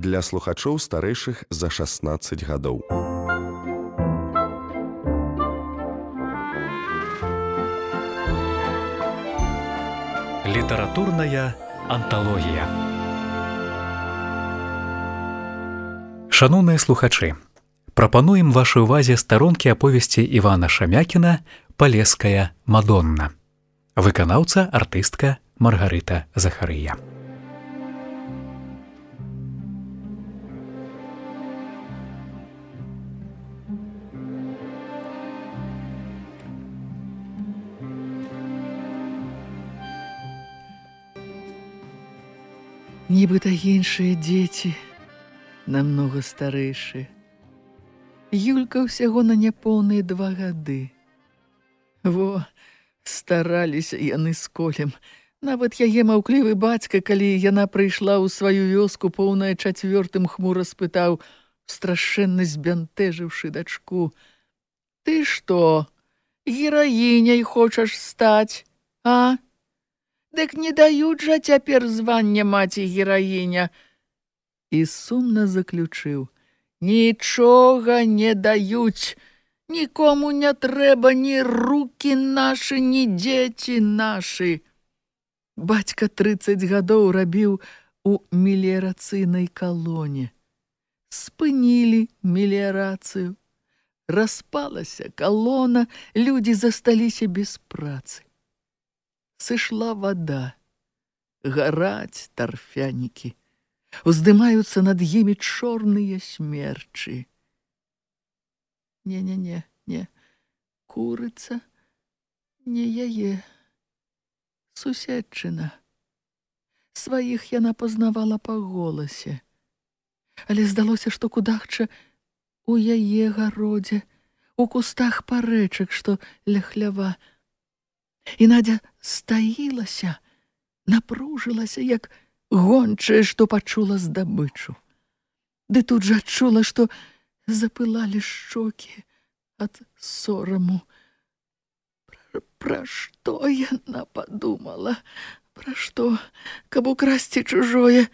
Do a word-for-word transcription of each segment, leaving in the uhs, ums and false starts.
для слухачоў старэйшых за шаснаццаць гадоў. Літаратурная анталогія. Шаноўныя слухачы, прапануем вашай увазе старонкі аповесці Івана Шамякіна «Палеская Мадонна». Выканаўца, артыстка Маргарыта Захарыя. Нібыта іншыя дзеці, намнога старэйшыя. Юлька ўсяго на няпоўныя два гады. Во, стараліся яны з Колем. Нават яе маўклівы бацька, калі яна прыйшла ў сваю вёску, поўная чацвёртым, хмура спытаў, страшэнна збянтэжыўшы дачку: «Ты што, гераіняй хочаш стаць, а? Дык не даюць жа цяпер звання маці-гераіня». І сумна заключыў: «Нічога не даюць, нікому не трэба ні рукі нашы, ні дзеці нашы». Бацька трыццаць гадоў рабіў у меліярацыйнай калоне. Спынілі меліярацыю. Распалася калона, людзі засталіся без працы. Сышла вада, гараць тарфянікі, уздымаюцца над імі чорныя смерчы. Не-не-не, не, курыца, не яе, суседчына. Сваіх яна пазнавала па голасе, але здалося, што кудахча у яе гародзе, у кустах парэчак, што ля хлява. І Надя стаілася, напружылася, як гончая, што пачула здабычу. Ды тут жа адчула, што запылалі шчокі ад сораму. Пра, пра што яна падумала? Пра што? Каб украсці чужое?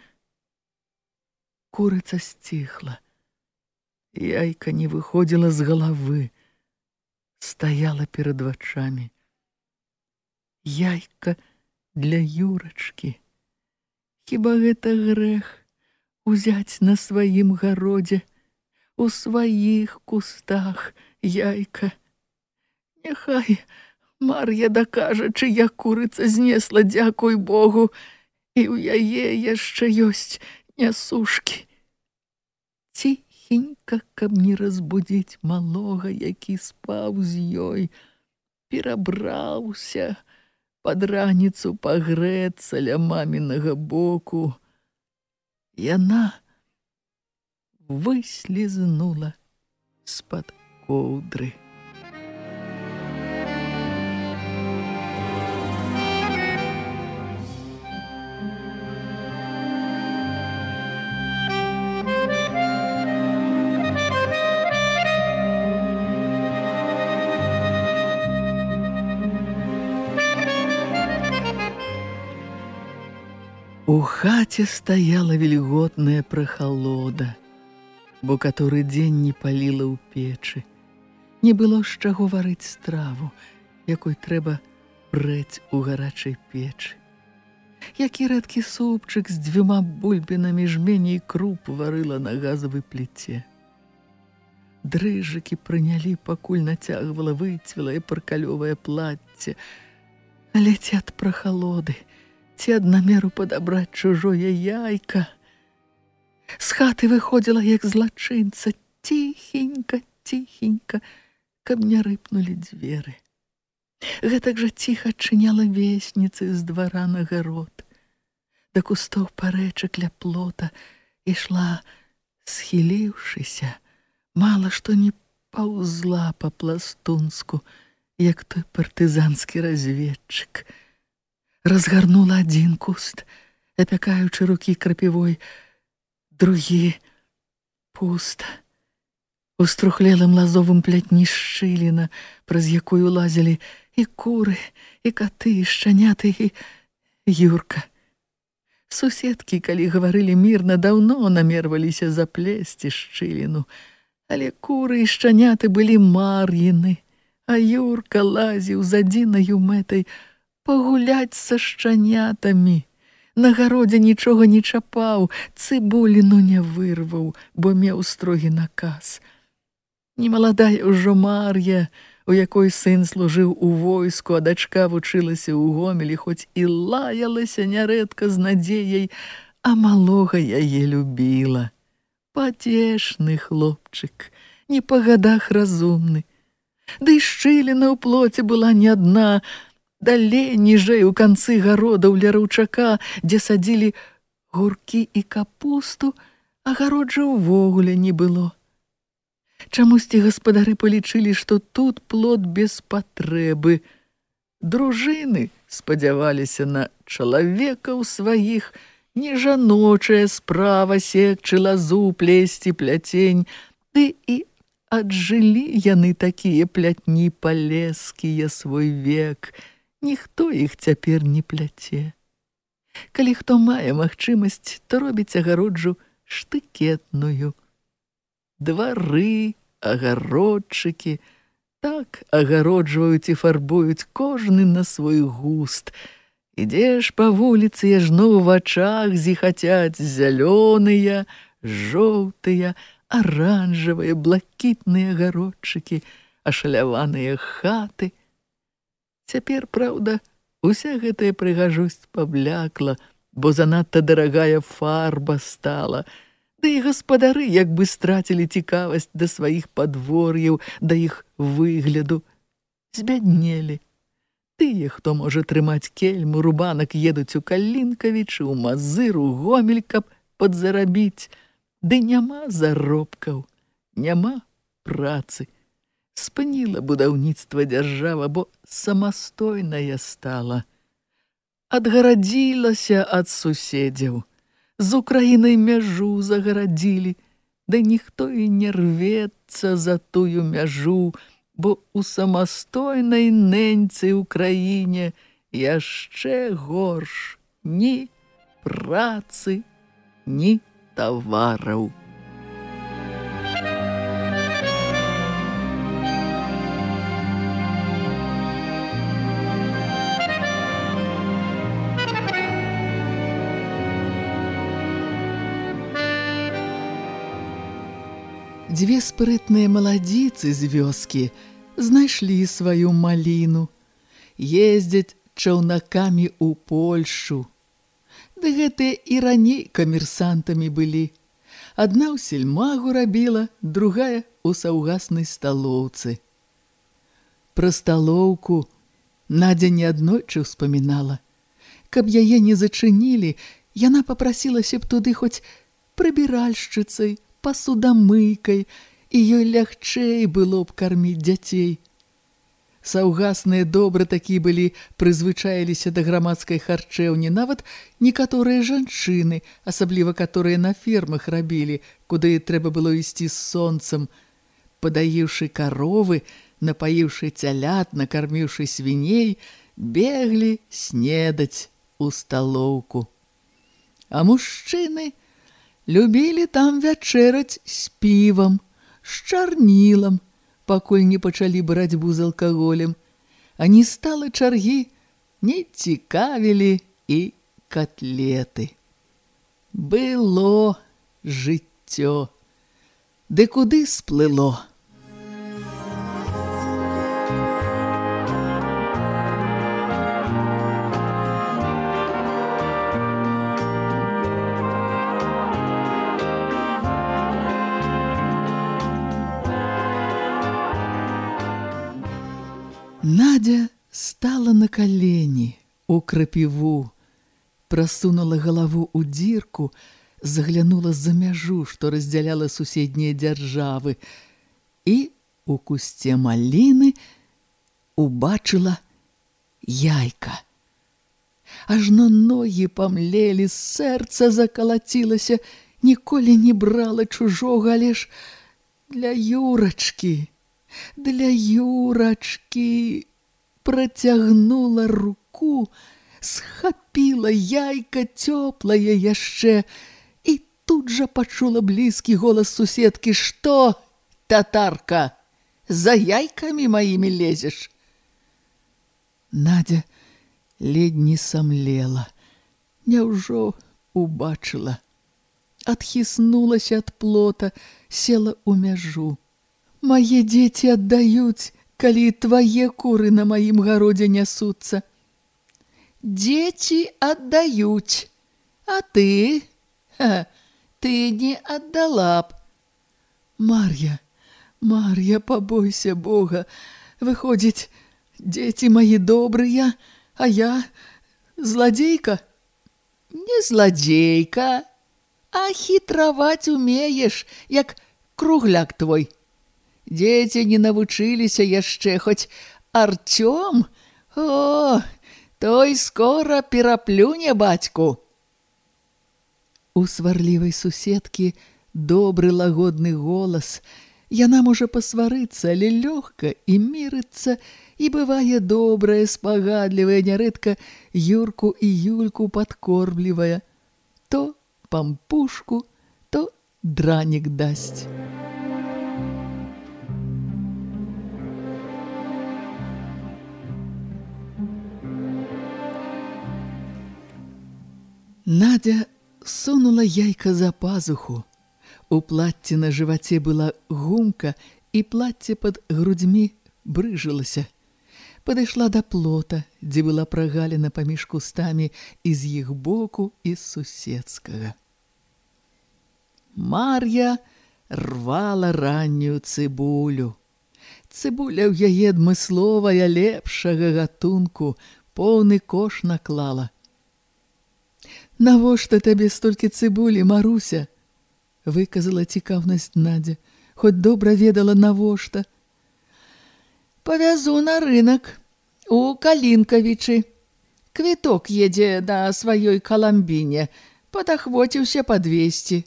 Курыца сціхла. Яйка не выходзіла з галавы, стаяла перад вачамі. Яйка для Юрачкі. Хіба гэта грэх узяць на сваім гародзе, у сваіх кустах яйка? Няхай Мар'я дакажа, чыя курыца знесла, дзякуй Богу, і ў яе яшчэ ёсць нясушкі. Ціхенька, каб не разбудзіць малога, які спаў з ёй, перабраўся пад раніцу пагрэцца ля мамінага боку. Яна выслізнула з-пад коўдры. У хаце стаяла вільготная прахалода, бо каторы дзень не паліла ў печы. Не было з чаго варыць страву, якой трэба прэць у гарачай печы. Які рэдкі супчык з дзвюма бульбінамі жмені і круп варыла на газавай пліце. Дрыжыкі прынялі, пакуль нацягвала выцвелае паркалёвае плацце. Але ці ад прахалоды, ці ад намеру падабраць чужое яйка. З хаты выходзіла, як злачынца, ціхенька, ціхенька, каб не рыпнулі дзверы. Гэтак жа ціха адчыняла весніцы з двара на гарод. Да кустоў парэчак ля плота ішла, схіліўшыся, мала што не паўзла па-пластунску, як той партызанскі разведчык. Разгарнула адзін куст, апякаючы рукі крапівой, другі пуста. У струхлелым лазовым плятні шчыліна, праз якую лазілі і куры, і каты, і шчаняты, і Юрка. Суседкі, калі гаварылі мірна, даўно намерваліся заплесці шчыліну, але куры і шчаняты былі мар'іны, а Юрка лазіў з адзінаю мэтай пагуляць са шчанятамі. На гародзе нічога не чапаў, цыбуліну не вырваў, бо меў строгі наказ. Немаладая ўжо Мар'я, у якой сын служыў у войску, а дачка вучылася ў Гомелі, хоць і лаялася нярэдка з надзеяй, а малога яе любіла. Пацешны хлопчык, не па гадах разумны. Ды і шчыліна ў плоце была не адна, далей ніжэй у канцы гародаў ля раўчака, дзе садзілі гуркі і капусту, агароджа ўвогуле не было. Чамусьці гаспадары палічылі, што тут плод без патрэбы. Дружыны спадзяваліся на чалавекаў сваіх, не жаночая справа секчы лазу, плесці пляцень, ды і аджылі яны такія плятні палескія свой век. Ніхто іх цяпер не пляце. Калі хто мае магчымасць, то робіць агароджу штыкетную. Двары, агародчыкі так агароджваюць і фарбуюць кожны на свой густ. Ідзеш па вуліцы, яжно ў вачах зіхацяць зялёныя, жоўтыя, аранжавыя, блакітныя агародчыкі, ашаляваныя хаты. Цяпер, праўда, уся гэтая прыгажосць паблякла, бо занадта дарагая фарба стала. Ды і гаспадары як бы страцілі цікавасць да сваіх падвор'яў, да іх выгляду. Збяднелі. Тыя, хто можа трымаць кельму, рубанак, едуць у Калінкавічы, у Мазыр, у Гомель, каб падзарабіць. Ды няма заробкаў, няма працы. Спыніла будаўніцтва дзяржава, бо самастойная стала. Адгарадзілася ад суседзяў. З Украінай мяжу загарадзілі, да ніхто і не рвецца за тую мяжу, бо у самастойнай неньцы ўкраіне яшчэ горш ні працы, ні тавараў. Дзве спрытныя маладзіцы з вёскі знайшлі сваю маліну, ездзяць чаўнакамі ў Польшу. Ды гэтыя і раней камерсантамі былі. Адна ў сельмагу рабіла, другая ў саўгаснай сталоўцы. Пра сталоўку Надзя неаднойчы ўспамінала. Каб яе не зачынілі, яна папрасілася б туды хоць прыбіральшчыцай, пасудамыйкай, і ёй лягчэй было б карміць дзяцей. Саўгасныя добра такі былі, прызвычаіліся да грамадскай харчэўні, нават некаторыя жанчыны, асабліва каторыя на фермах рабілі, куды трэба было ісці з сонцам. Падаіўшы каровы, напаіўшы цялят, накарміўшы свіней, беглі снедаць у сталоўку. А мужчыны любілі там вячэраць з півам, з чарнілам, пакуль не пачалі барацьбу з алкаголем, а не стала чаргі, не цікавілі і катлеты. Было жыццё, ды куды сплыло? Надя стала на калені у крапіву, прасунула галаву ў дзірку, заглянула за мяжу, што раздзяляла суседнія дзяржавы, і у кусце маліны убачыла яйка. Ажно ногі памлелі, сэрца закалацілася, ніколі не брала чужога, але ж для Юрачкі. Для Юрачкі працягнула руку, схапіла яйка цёплае яшчэ і тут жа пачула блізкі голас суседкі: «Што, татарка, за яйкамі маімі лезеш?» Надя ледь не самлела. Няўжо убачыла? Адхіснулася ад плота, села ў мяжу. «Мае дзеці аддаюць, калі твае куры на маім гародзе нясуцца». «Дзеці аддаюць, а ты? Ха, ты не аддала б». «Мар'я, Мар'я, пабойся Бога. Выходзіць, дзеці маі добрыя, а я зладзейка?» «Не зладзейка, а хітраваць умееш, як кругляк твой. Дзеці не навучыліся яшчэ, хоць Артём, о, той скора пераплюне бацьку». У сварлівай суседкі добры лагодны голас. Яна можа пасварыцца, але лёгка і мірыцца, і бывае добрая, спагадлівая, нярэдка Юрку і Юльку падкормлівая. То пампушку, то дранік дасць. Надя сунула яйка за пазуху. У платці на жываце была гумка, і платце пад грудзьмі брыжылася. Падышла да плота, дзе была прагаліна паміж кустамі і з іх боку, і з суседскага. Мар'я рвала раннюю цыбулю. Цыбуля ў яе адмысловая, лепшага гатунку, поўны кош наклала. «Навошта табе столькі цыбулі, Маруся?» — выказала цікаўнасць Надя, хоць добра ведала навошта. «Павязу на рынак у Калінкавічы. Квіток едзе на сваёй Каламбіне, падахвоціўся падвесці».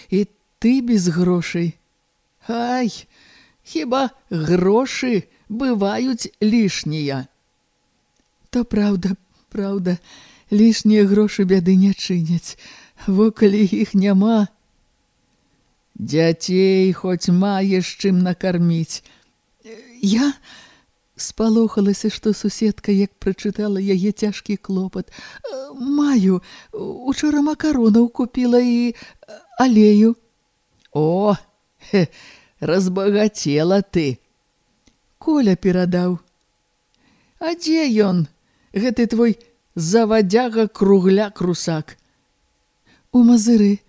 «І ты без грошай?» «Ай, хіба грошы бываюць лішнія?» «То праўда, праўда, лішнія грошы бяды не чыняць, во калі іх няма». «Дзяцей хоць маеш чым накарміць?» «Я...» спалохалася, што суседка, як прачытала яе цяжкі клопат. «Маю, учора макаронаў купіла і алею». «О, хе, разбагацела ты!» «Коля перадаў». «А дзе ён, гэты твой завадзяга кругляк-русак?» «У Мазыры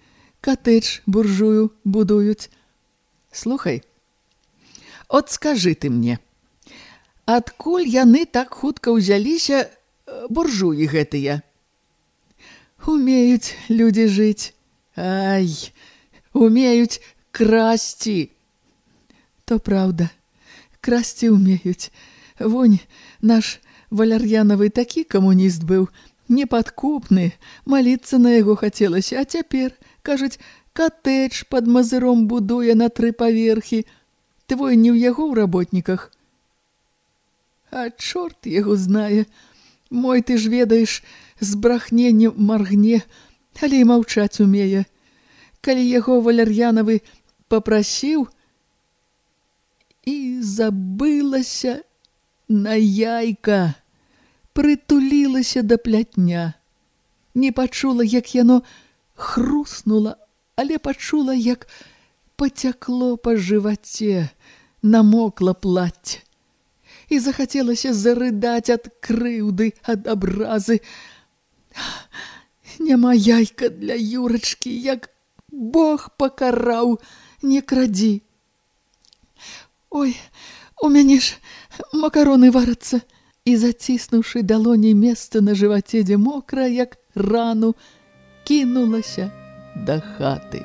катэдж буржую будуюць». «Слухай, от скажы ты мне, адкуль яны так хутка ўзяліся, буржуі гэтыя?» «Умеюць людзі жыць». «Ай, умеюць красці». «То праўда, красці умеюць. Вонь, наш Валяр'янавы такі камуніст быў, непадкупны, маліцца на яго хацелася, а цяпер, кажуць, катэдж пад Мазыром будуе на тры паверхі. Твой не ў яго ў работніках?» «А чорт яго знае. Мой, ты ж ведаеш, з брахненнем маргне, але і маўчаць умее. Калі яго Валяр'янавы папрасіў, і забылася на яйка, прытулілася да плятня. Не пачула, як яно хруснула, але пачула, як пацякло па жываце, намокла плацце. І захацелася зарыдаць ад крыўды, ад абразы. Няма яйка для Юрачкі, як Бог пакараў, не крадзі. Ой, у мяне ж макароны варацца. І заціснуўшы далоней месца на жываце, дзе мокра, як рану, кінулася да хаты.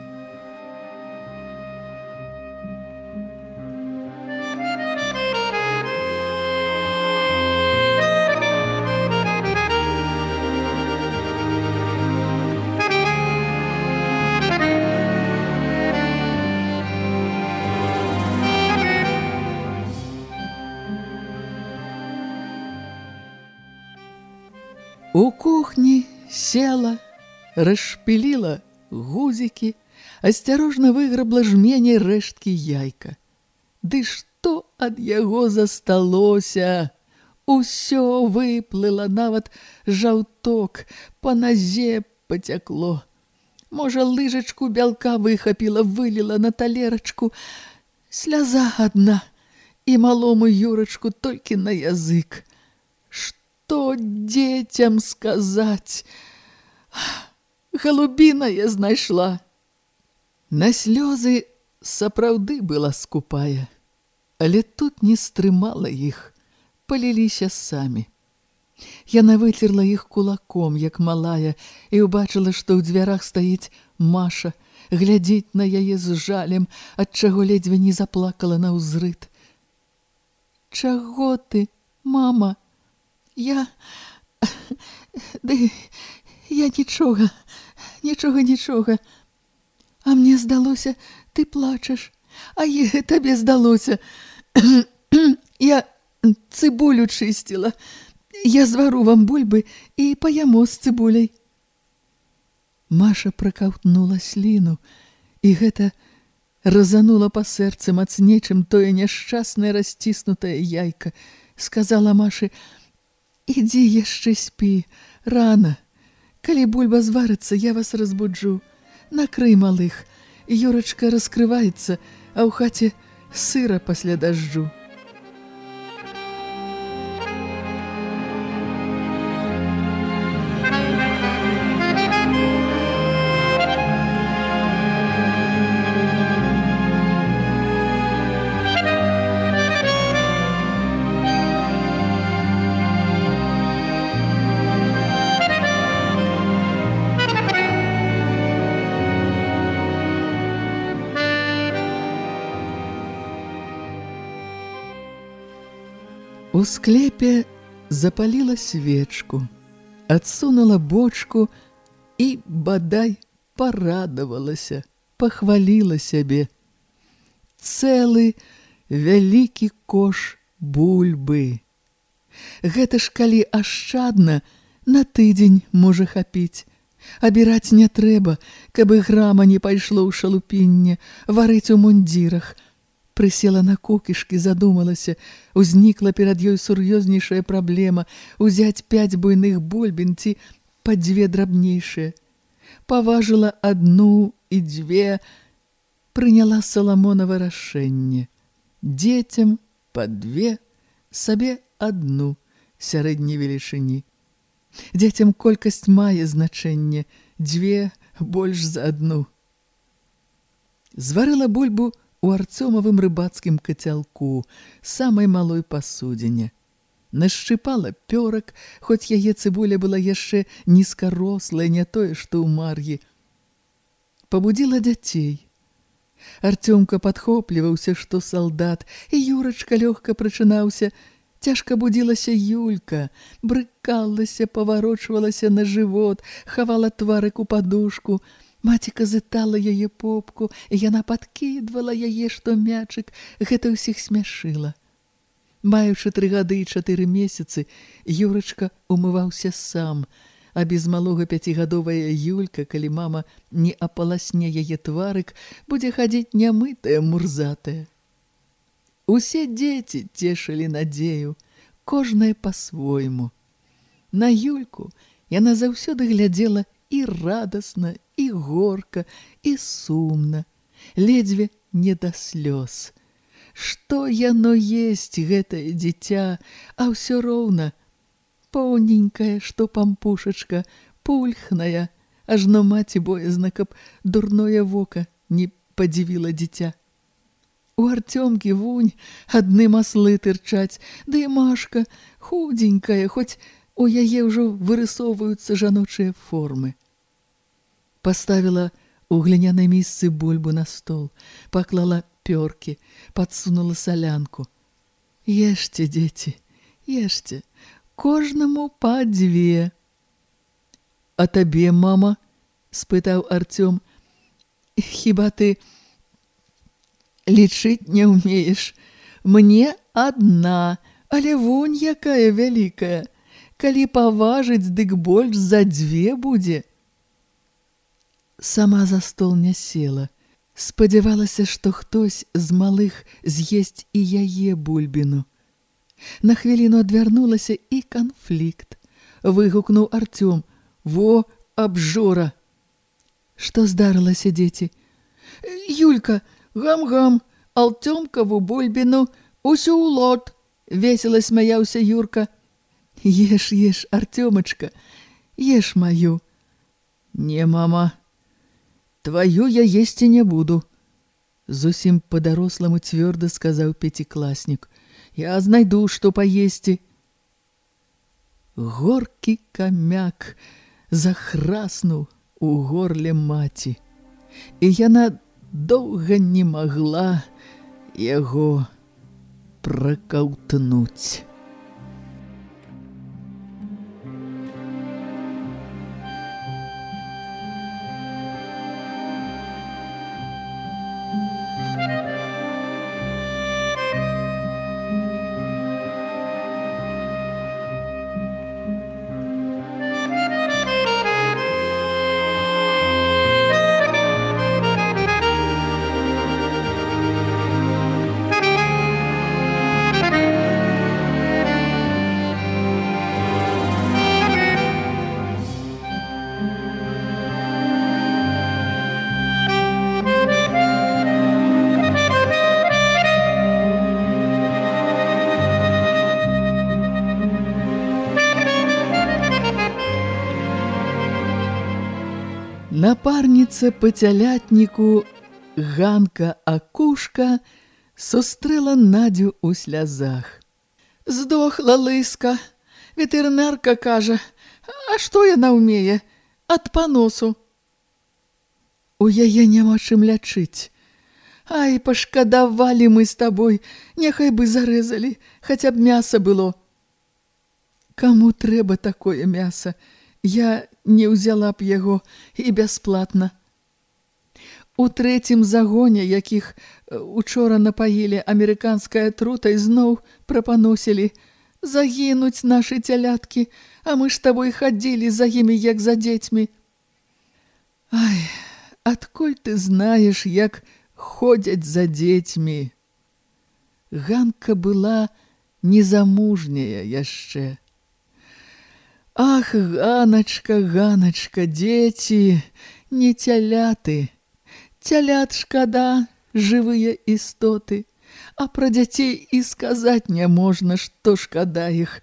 У кухні села, расшпіліла гузікі, асцярожна выграбла жменяй рэшткі яйка. Ды што ад яго засталося? Усё выплыла, нават жаўток, па назе пацякло. Можа, лыжачку бялка выхапіла, выліла на талерачку. Сляза адна, і малому Юрачку толькі на язык. Што дзецям сказаць? Галубіна я знайшла. На слёзы сапраўды была скупая, але тут не стрымала іх, паліліся самі. Яна выцерла іх кулаком, як малая, і ўбачыла, што ў дзвярах стаіць Маша, глядзіць на яе з жалем, ад чаго ледзьве не заплакала наўзрыд. Чаго ты, мама? Я... Ды... Я нічога, нічога, нічога. А мне здалося, ты плачаш. А е, табе здалося. Я цыбулю чысціла. Я звару вам бульбы і паяму з цыбуляй. Маша пракаўтнула сліну, і гэта разанула па сэрцы мацней, чым тое няшчаснае расціснутае яйка. Сказала Машы: «Ідзі яшчэ спі, рана. Калі бульба зварыцца, я вас разбуджу. Накрый малых. Юрачка раскрываецца, а ў хаце сыра пасля дажджу». У склепе запаліла свечку, адсунула бочку і, бадай, парадавалася, пахваліла сябе. Цэлы вялікі кош бульбы. Гэта ж калі ашчадна, на тыдзень можа хапіць. Абіраць не трэба, каб і грама не пайшло ў шалупінне, варыць у мундзірах. Прысела на кукішкі, задумалася, узнікла перад ёй сур'ёзнейшая праблема узяць пяць буйных бульбін ці па дзве драбнейшыя. Паважыла адну і дзве, прыняла Саламонава рашэнне. Дзецям па две, сабе адну сярэдняй велічыні. Дзецям колькасць мае значэнне, дзве больш за адну. Зварыла бульбу у Арцёмавым рыбацкім кацялку, самай малой пасудзіне. Нашчыпала пёрак, хоць яе цыбуля была яшчэ нізкарослая, не тое, што ў Мар'і. Пабудзіла дзяцей. Арцёмка падхопліваўся, што салдат, і Юрачка лёгка прачынаўся. Цяжка будзілася Юлька, брыкалася, паварочвалася на жывот, хавала тварык у падушку. Маціка зытала яе попку, і яна падкідвала яе, што мячык, гэта ўсіх смяшыла. Маючы тры гады і чатыры месяцы, Юрачка умываўся сам, а без малога пяцігадовая Юлька, калі мама не апаласне яе тварык, будзе хадзіць нямытая, мурзатая. Усе дзеці цешылі надзею, кожнае па-свойму. На Юльку яна заўсёды глядзела і радасна, і горка, і сумна, ледзьве не да слёз. Што яно есць, гэтае дзіця, а ўсё роўна поўненькая, што пампушачка, пульхная, ажно маці боязна, каб дурное вока не падзівіла дзіця. У Арцёмкі вунь адны маслы тырчаць, ды і Машка худзенькая, хоць у яе ўжо вырысоўваюцца жаночыя формы. Паставіла у глінянай місцы бульбу на стол, паклала пёркі, падсунула салянку. Ешце, дзеці, ешце, кожнаму па дзве. А табе, мама? Спытаў Арцём. Хіба ты лічыць не ўмееш? Мне адна, але вунь якая вялікая. Калі паважыць, дык больш за дзве будзе. Сама за стол не села. Спадзявалася, што хтось з малых з'есць і яе бульбіну. На хвіліну адвярнулася і канфлікт. Выгукнуў Артём: «Во, абжора!» Што здарылася, дзеці? «Юлька, гам-гам, Алтёмкаву бульбіну, усю ў лот!» — весела смяяўся Юрка. «Еш, еш, Артёмачка, еш маю». «Не, мама, твою я есці не буду», — зусім па-даросламу цвёрда сказаў пяцікласнік. «Я знайду, што паесці». Горкі камяк захраснуў у горле маці, і яна доўга не магла яго пракаўтнуць. Напарніца па цялятніку Ганка Акушка сустрэла Надзю ў слязах. «Здохла лыска. Ветэрынарка кажа, а што яна ўмее? Ад паносу». «У яе няма чым лячыць. Ай, пашкадавалі мы з табой, няхай бы зарэзалі, хаця б мяса было». «Каму трэба такое мяса? Я не ўзяла б яго і бясплатна». У трэцім загоне, якіх учора напаілі амерыканскай атрутай, зноў прапаносілі: «Загінуць нашы цяляткі, а мы ж табой хадзілі за імі, як за дзецьмі». «Ай, адкуль ты знаеш, як ходзяць за дзецьмі?» Ганка была незамужняя яшчэ. «Ах, Ганачка, Ганачка, дзеці, не цяляты. Цялят шкада, жывыя істоты, а пра дзяцей і сказаць не можна, што шкада іх.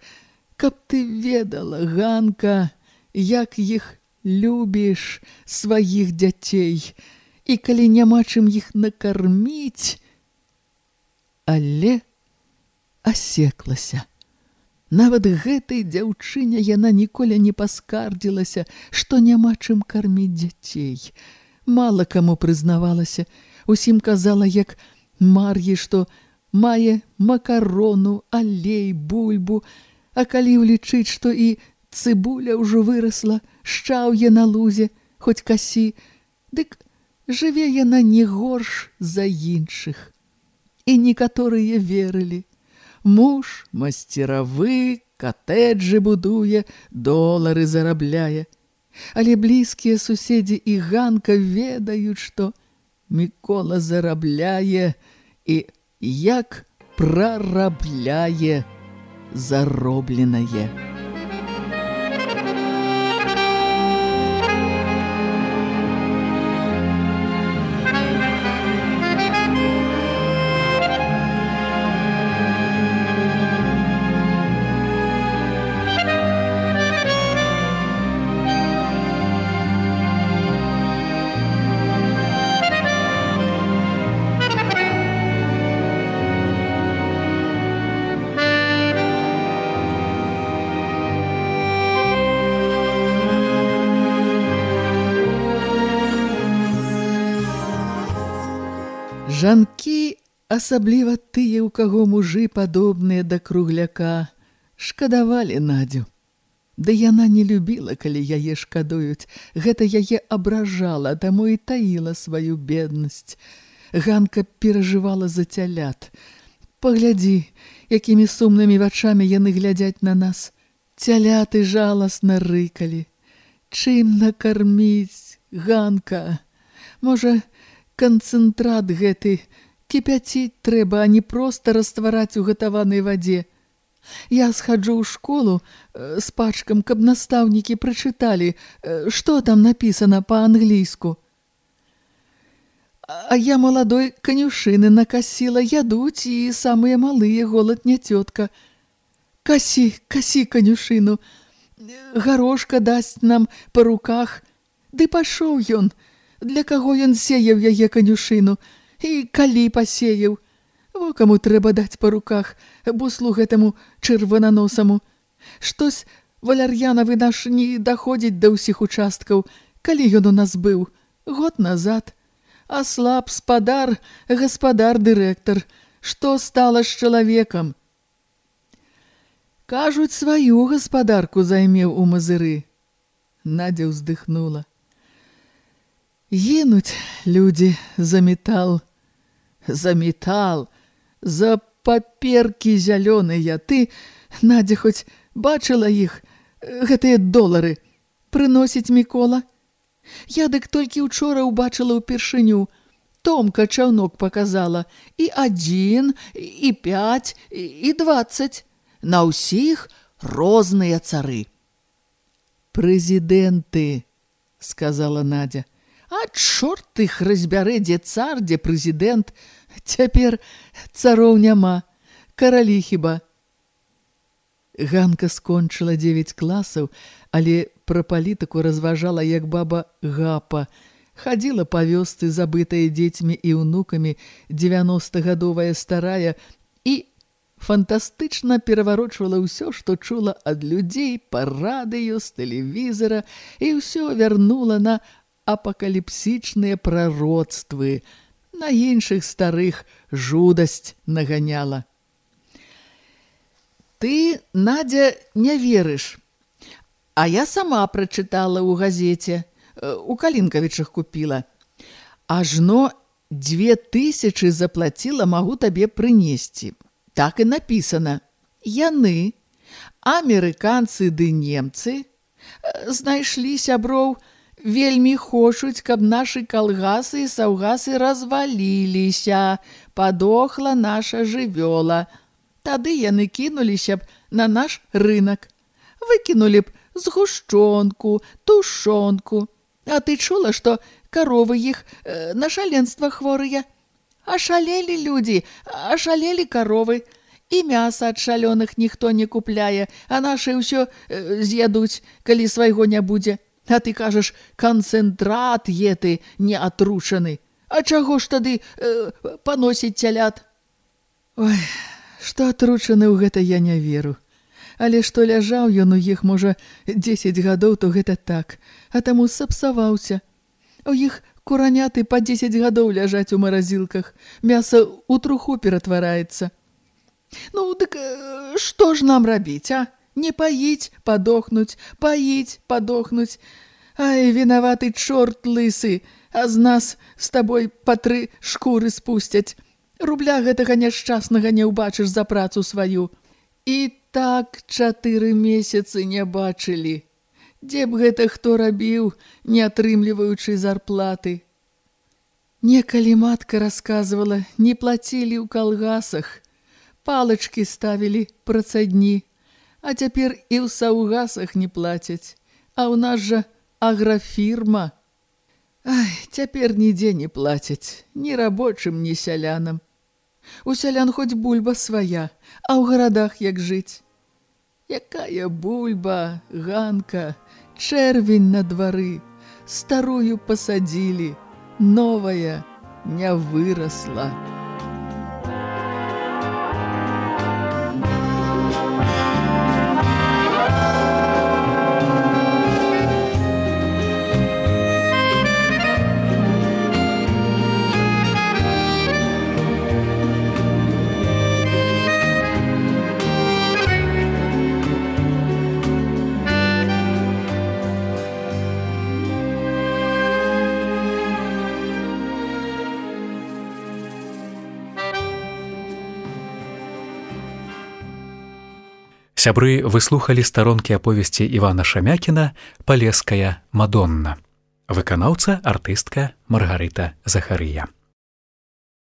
Каб ты ведала, Ганка, як іх любіш, сваіх дзяцей, і калі няма чым іх накарміць». Але асеклася. Нават гэтай дзяўчыне яна ніколі не паскардзілася, што няма чым карміць дзяцей. Мала каму прызнавалася, усім казала, як Мар'і, што мае макарону, алей, бульбу, а калі ўлічыць, што і цыбуля ўжо вырасла, шчаўе на лузе, хоць касі, дык жыве яна не горш за іншых. І некаторыя верылі. Муж масцеравы, катэджы будуе, долары зарабляе. Але блізкія суседзі і Ганка ведаюць, што Мікола зарабляе і як прарабляе заробленае. Жанкі, асабліва тыя, у каго мужы падобныя да кругляка, шкадавалі Надзю. Ды яна не любіла, калі яе шкадуюць. Гэта яе абражала, таму і таіла сваю беднасць. Ганка перажывала за цялят. «Паглядзі, якімі сумнымі вачамі яны глядзяць на нас. Цяляты жаласна рыкалі. Чым накарміць, Ганка? Можа, канцэнтрат гэты кіпяціць трэба, а не проста раствараць у гатаванай вадзе. Я схаджу ў школу з пачкам, каб настаўнікі прачыталі, што там напісана па-англійску. А я маладой канюшыны накасіла, ядуць, і самыя малыя, голад не цётка. Касі, касі канюшыну, гарошка дасць нам па руках. Ды пашоў ён, для каго ён сеяў яе канюшыну, і калі пасеяў. Во каму трэба даць па руках, буслу гэтаму чырвананосаму. Штось валяр'янавы наш не даходзіць да ўсіх участкаў, калі ён у нас быў, год назад. А слаб спадар, гаспадар дырэктар, што стала з чалавекам? Кажуць, сваю гаспадарку займеў у Мазыры. Надзя ўздыхнула. Гінуць людзі за метал. За метал, за паперкі зялёныя. Ты, Надзя, хоць бачыла іх, гэтыя долары, прыносіць Мікола? Я дык толькі ўчора ўбачыла ўпершыню. Томка чаўнок паказала. І адзін, і пяць, і дваццаць. На ўсіх розныя цары. Прэзідэнты, сказала Надзя. А чорт іх разбярэ, дзе цар, дзе прэзідэнт. Цяпер цароў няма, каралі хіба. Ганка скончыла дзевяць класаў, але пра палітыку разважала як баба Гапа. Хадзіла па вёсцы, забытая дзецьмі і ўнукамі, дзевяностагадовая старая, і фантастычна пераварочвала ўсё, што чула ад людзей па радыё, з тэлевізара, і ўсё вярнула на апакаліпсічныя прароцтвы, на іншых старых жудасць наганяла. Ты, Надзя, не верыш. А я сама прачытала ў газеце, у Калінкавічах купіла. Ажно дзве тысячы заплаціла, магу табе прынесці. Так і напісана. Яны, амерыканцы ды немцы, знайшлі сяброў, вельмі хочуць, каб нашы калгасы і саўгасы разваліліся, падохла наша жывёла. Тады яны кінуліся б на наш рынак. Выкінулі б згушчонку, тушонку. А ты чула, што каровы іх э, на шаленства хворыя? Ашалелі людзі, ашалелі каровы. І мяса ад шалёных ніхто не купляе, а нашы ўсё э, з'ядуць, калі свайго не будзе. А ты кажаш, канцэнтрат еты не атручаны. А чаго ж тады э, паносіць цялят? Ой, што атручаны ў гэта я не веру. Але што ляжаў ён у іх, можа, дзесяць гадоў, то гэта так, а таму сапсаваўся. У іх кураняты па дзесяць гадоў ляжаць у маразілках, мяса ў труху ператвараецца. Ну, дык што ж нам рабіць, а? Не паіць, падохнуць, паіць, падохнуць. Ай, вінаваты чорт лысы, а з нас з табой па тры шкуры спусцяць. Рубля гэтага няшчаснага не ўбачыш за працу сваю. І так чатыры месяцы не бачылі. Дзе б гэта хто рабіў, не атрымліваючы зарплаты? Некалі матка расказвала, не плацілі ў калгасах, палачкі ставілі працадні, а цяпер і ў саўгасах не плацяць, а ў нас жа аграфірма. Ай, цяпер нідзе не плацяць, ні рабочым, ні сялянам. У сялян хоць бульба свая, а ў гарадах як жыць? Якая бульба, Ганка, чэрвень на двары, старую пасадзілі, новая не вырасла. Сябры выслухалі старонкі аповесці Івана Шамякіна «Палеская Мадонна». Выканаўца артыстка Маргарыта Захарыя.